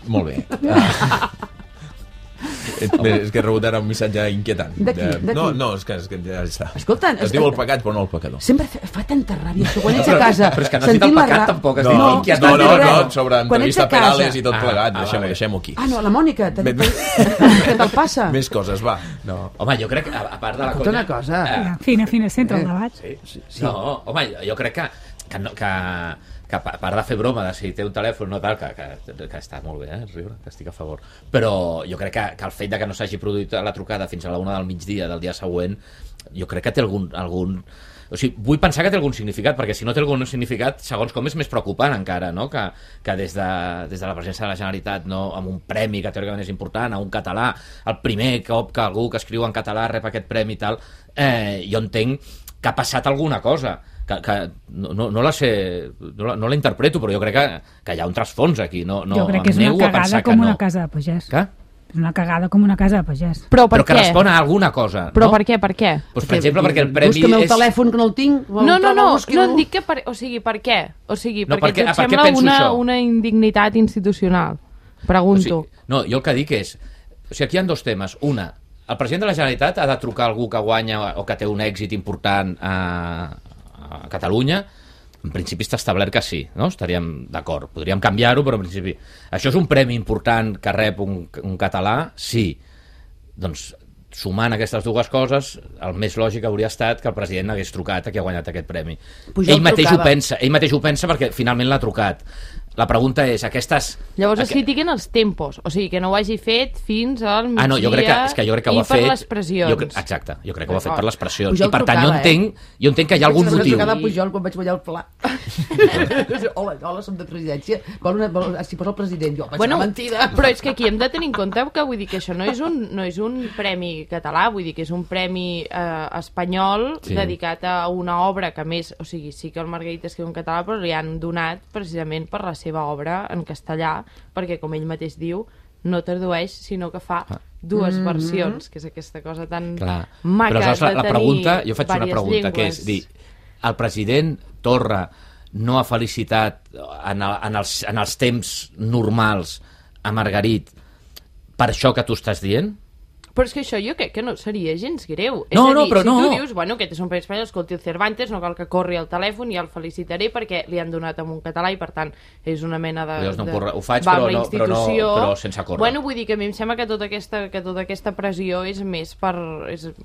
Molt bé. És que he rebut ara un missatge inquietant. D'aquí? No, és que ja està. Escolta, es diu el pecat, però no el pecador. Sempre fa tanta ràbia això, quan ets a casa... Però és que no has dit el pecat, tampoc. Has dit inquietant. No, sobre entrevista Perales i tot plegat. Deixem-ho aquí. Ah, no, la Mònica, què te'l passa? Més coses, va. Home, jo crec que, a part de la conya... Una cosa... Fina, centre el debat. Sí. No, home, jo crec que a part de fer broma de si té un telèfon no tal, que està molt bé, riure, que estic a favor, però jo crec que el fet de que no s'hagi produït la trucada fins a la 1 del migdia del dia següent, jo crec que té algun... O sigui, vull pensar que té algun significat, perquè si no té algun significat, segons com és més preocupant encara, no? Que des de la presidència de la Generalitat, no, amb un premi que teòricament és important, a un català, el primer cop que algú que escriu en català rep aquest premi i tal, jo entenc que ha passat alguna cosa, que no la sé, no la interpreto, però jo crec que hi ha un trasfons aquí. Jo crec que és una cagada com una casa de pagès. Què? És una cagada com una casa de pagès. Però per que què? respon a alguna cosa. Però no? per què? Pues, per exemple, perquè el premi Busca'm el telèfon, que no el tinc. No et dic que... O sigui, per què? O sigui, perquè et sembla una indignitat institucional. Pregunto. O sigui, no, jo el que dic és... O sigui, aquí hi ha dos temes. Una, el president de la Generalitat ha de trucar a algú que guanya o que té un èxit important a Catalunya. En principi està establert que sí, no? Estaríem d'acord. Podríem canviar-ho, però en principi... Això és un premi important que rep un català? Sí. Doncs, sumant aquestes dues coses, el més lògic hauria estat que el president hagués trucat a qui ha guanyat aquest premi. Ell mateix ho pensa perquè finalment l'ha trucat. La pregunta és, aquestes... Llavors es critiquen els tempos, o sigui, que no ho hagi fet fins al migdia jo crec que ho ha fet... per les pressions. Exacte, jo crec que ho ha fet per les pressions. I per tant, jo entenc que hi ha algun motiu. Vaig trucar a Pujol quan vaig guanyar el pla. Hola, som de presidència. Si posa el president, jo vaig mentida. Però és que aquí hem de tenir en compte que vull dir que això no és un premi català, vull dir que és un premi espanyol dedicat a una obra que més, o sigui, sí que el Margarit escriu en català, però li han donat precisament per la seva obra en castellà, perquè com ell mateix diu, no tradueix, sinó que fa dues versions, que és aquesta cosa tan maca de tenir jo faig una pregunta, que és dir, el president Torra no ha felicitat en els temps normals a Margarit per això que tu estàs dient? Però és que això jo crec que no seria gens greu. No, és a dir, però si tu dius, bueno, aquest és un premi espanyol, escolti el Cervantes, no cal que corri al telèfon, ja el felicitaré perquè li han donat en un català i per tant és una mena de... Ho faig, però sense córrer. Bueno, vull dir que a mi em sembla que tota aquesta pressió és més per...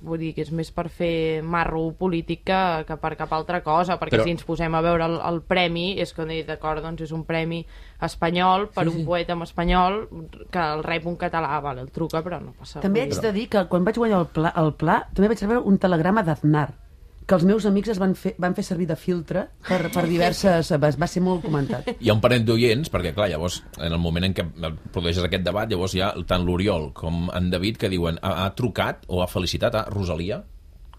vull dir que és més per fer marro polític que per cap altra cosa, perquè si ens posem a veure el premi, és que d'acord, doncs és un premi espanyol per un poeta en espanyol que el rep un català, vale, el truca, però no passa res. També haig de dir que quan vaig guanyar el pla també vaig rebre un telegrama d'Aznar que els meus amics van fer servir de filtre per diverses... Va ser molt comentat. Hi ha un parell d'oients, perquè clar, llavors en el moment en què produeixes aquest debat, llavors hi ha tant l'Oriol com en David que diuen ha trucat o ha felicitat a Rosalia,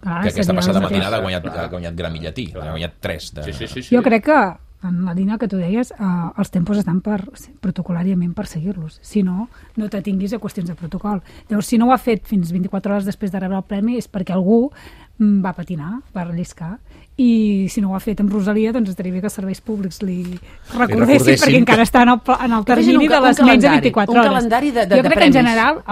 que aquesta passada matinada ha guanyat Grammy Llatí, ha guanyat 3 de... Sí. Jo crec que en la línia que tu deies, els tempos estan protocolàriament per seguir-los. Si no, no t'atinguis a qüestions de protocol. Llavors, si no ho ha fet fins 24 hores després de rebre el premi és perquè algú va patinar, va relliscar, i si no ho ha fet amb Rosalia, doncs estaria bé que els serveis públics li recordessin perquè encara està en el termini de les menys de 24 hores. Un calendari de premis. Jo crec que en general,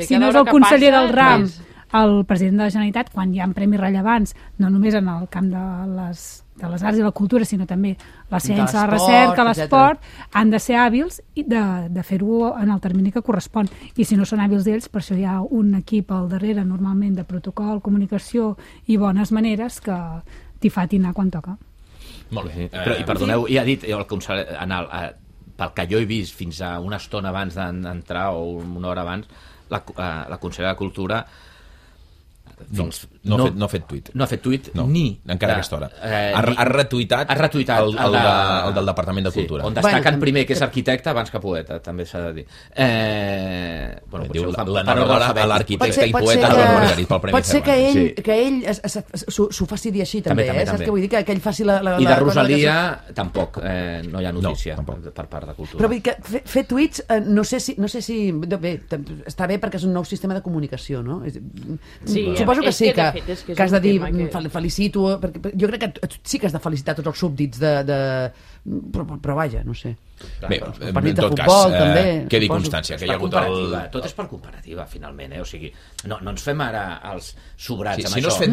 si no és el conseller del RAM, el president de la Generalitat, quan hi ha premis rellevants, no només en el camp de les arts i la cultura, sinó també la ciència, la recerca, l'esport, han de ser hàbils de fer-ho en el termini que correspon. I si no són hàbils d'ells, per això hi ha un equip al darrere, normalment, de protocol, comunicació i bones maneres que t'hi fa atinar quan toca. Molt bé. Però, i perdoneu, ja ha dit el conseller, pel que jo he vist fins a una estona abans d'entrar o una hora abans, la consellera de Cultura No ha fet tuit. No ha fet tuit encara a aquesta hora. Ha retuitat el del Departament de Cultura. On destaquen primer que és arquitecte abans que poeta, també s'ha de dir. Diu l'enhorabona a l'arquitecte i poeta Joan Margarit pel Premi Cervantes. Pot ser que ell s'ho faci dir així, també. Saps què vull dir? Que ell faci la... I de Rosalia tampoc, no hi ha notícia per part de Cultura. Però vull dir que fer tuits, no sé si... Bé, està bé perquè és un nou sistema de comunicació, no? Sí, suposo que sí, que has de dir felicito, perquè jo crec que sí que has de felicitar tots els súbdits però vaja, no sé. Bé, en tot cas, quedi constància que hi ha hagut tot és per comparativa, finalment, o sigui, no ens fem ara els sobrats amb això. Si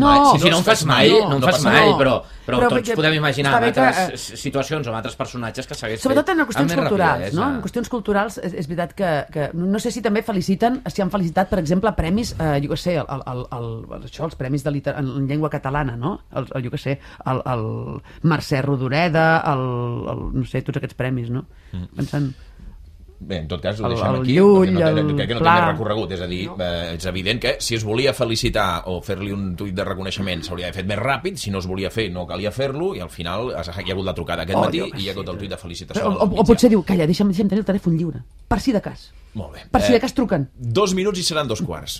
no en fas mai, però tots podem imaginar altres situacions o altres personatges que s'hagués fet. Sobretot en qüestions culturals, no? En qüestions culturals és veritat que no sé si també feliciten, si han felicitat, per exemple, premis, jo què sé, els premis en llengua catalana, no? Jo què sé, el Mercè Rodoreda, no sé, tots aquests premis, no? Pensant... Bé, en tot cas, ho deixem aquí. Llull, crec que no té més recorregut. És a dir, és evident que si es volia felicitar o fer-li un tuit de reconeixement s'hauria d'haver fet més ràpid, si no es volia fer no calia fer-lo, i al final hi ha hagut la trucada aquest matí i hi ha hagut el tuit de felicitació. O potser diu, calla, deixa'm tenir el telèfon lliure, per si de cas. Molt bé. Per si de cas truquen. 2 minuts i seran 2 quarts.